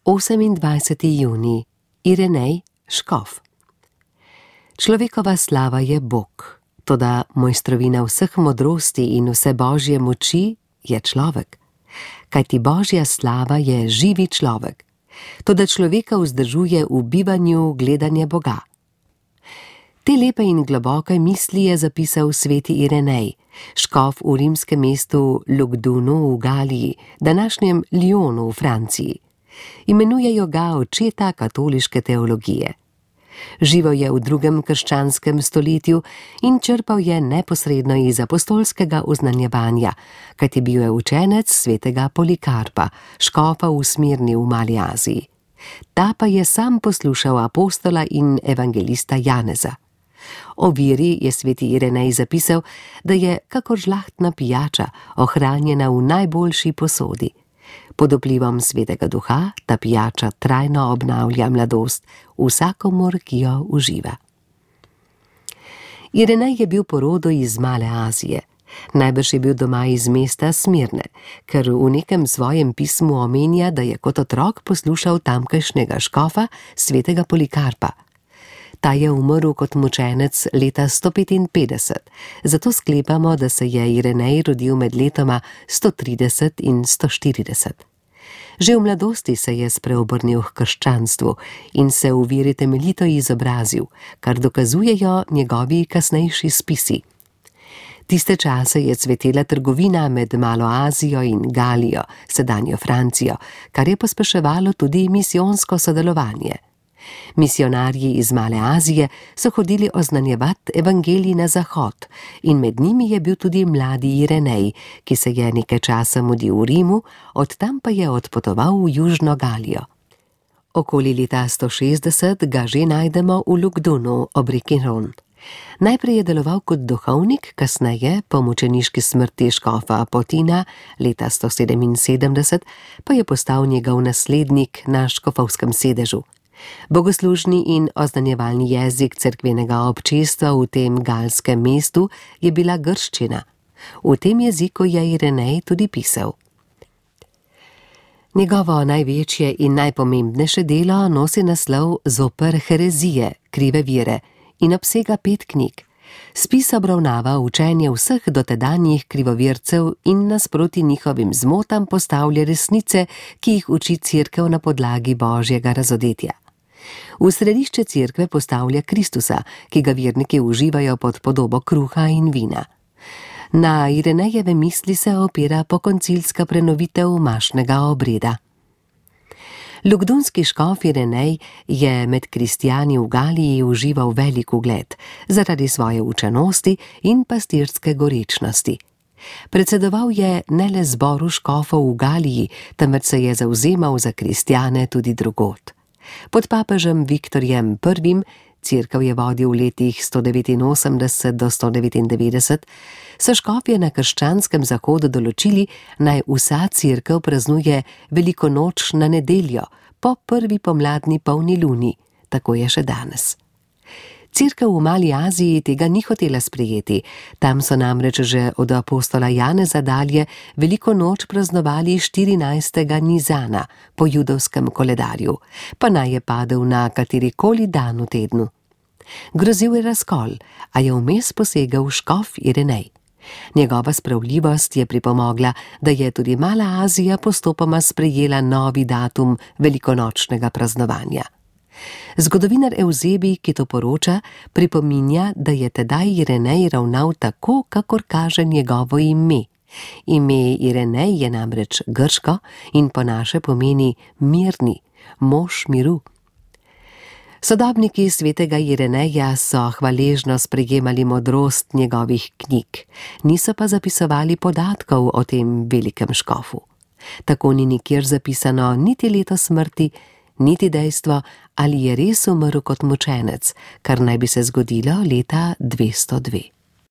28. junij. Irenej, škof. Človekova slava je Bog, toda mojstrovina vseh modrosti in vse božje moči je človek. Kajti božja slava je živi človek, toda človeka vzdržuje v bivanju gledanje Boga. Te lepe in globoke misli je zapisal sveti Irenej, škof v rimskem mestu Lugdunu v Galiji, današnjem Lyonu v Franciji. Imenujejo ga očeta katoliške teologije. Živel je v 2. krščanskem stoletju in črpal je neposredno iz apostolskega oznanjevanja, kajti bil je učenec svetega Polikarpa, škofa v Smirni v Mali Aziji. Ta pa je sam poslušal apostola in evangelista Janeza. O veri je sveti Irenej zapisal, da je kakor žlahtna pijača, ohranjena v najboljši posodi. Pod vplivom svetega duha ta pijača trajno obnavlja mladost vsakomur, ki jo uživa. Irenej je bil po rodu iz Male Azije. Najbrž je bil doma iz mesta Smirne, ker v nekem svojem pismu omenja, da je kot otrok poslušal tamkajšnjega škofa svetega Polikarpa. Ta je umrl kot mučenec leta 155, zato sklepamo, da se je Irenej rodil med letoma 130 in 140. Že v mladosti se je spreobrnil k krščanstvu in se v veri temeljito izobrazil, kar dokazujejo njegovi kasnejši spisi. Tiste čase je cvetela trgovina med Malo Azijo in Galijo, sedanjo Francijo, kar je pospeševalo tudi misijonsko sodelovanje. Misionarji iz Male Azije so hodili oznanjevati evangelij na zahod in med njimi je bil tudi mladi Irenej, ki se je nekaj časa mudil v Rimu, od tam pa je odpotoval v Južno Galijo. Okoli leta 160 ga že najdemo v Lugdunu ob reki Ron. Najprej je deloval kot duhovnik, kasneje, po mučeniški smrti škofa Apotina leta 177, pa je postal njegov naslednik na škofovskem sedežu. Bogoslužni in oznanjevalni jezik cerkvenega občestva v tem galskem mestu je bila grščina. V tem jeziku je Irenej tudi pisal. Njegovo največje in najpomembnejše delo nosi naslov Zoper herezije, krive vire in obsega 5 knjig. Spis obravnava učenje vseh dotedanjih krivovircev in nasproti njihovim zmotam postavlja resnice, ki jih uči cerkev na podlagi božjega razodetja. V središče cerkve postavlja Kristusa, ki ga verniki uživajo pod podobo kruha in vina. Na Irenejeve misli se opira pokoncilska prenovitev mašnega obreda. Lugdunski škof Irenej je med kristjani v Galiji užival velik ugled zaradi svoje učenosti in pastirske gorečnosti. Predsedoval je ne le zboru škofov v Galiji, temveč se je zavzemal za kristjane tudi drugod. Pod papežem Viktorjem I, cerkev je vodil v letih 189 do 199, so škofje na krščanskem zahodu določili, naj vsa cerkev praznuje veliko noč na nedeljo, po prvi pomladni polni luni, tako je še danes. Cerkev v Mali Aziji tega ni hotela sprejeti, tam so namreč že od apostola Janeza dalje veliko noč praznovali 14. Nizana po judovskem koledarju, pa naj je padel na katerikoli dan v tednu. Grozil je razkol, a je vmes posegel škof Irenej. Njegova spravljivost je pripomogla, da je tudi Mala Azija postopoma sprejela novi datum velikonočnega praznovanja. Zgodovinar Evzebij, ki to poroča, pripominja, da je tedaj Irenej ravnal tako, kakor kaže njegovo ime. Ime Irenej je namreč grško in po naše pomeni mirni, mož miru. Sodobniki svetega Ireneja so hvaležno sprejemali modrost njegovih knjig, niso pa zapisovali podatkov o tem velikem škofu. Tako ni nikjer zapisano niti leto smrti, niti dejstvo, ali je res umrl kot mučenec, kar naj bi se zgodilo leta 202.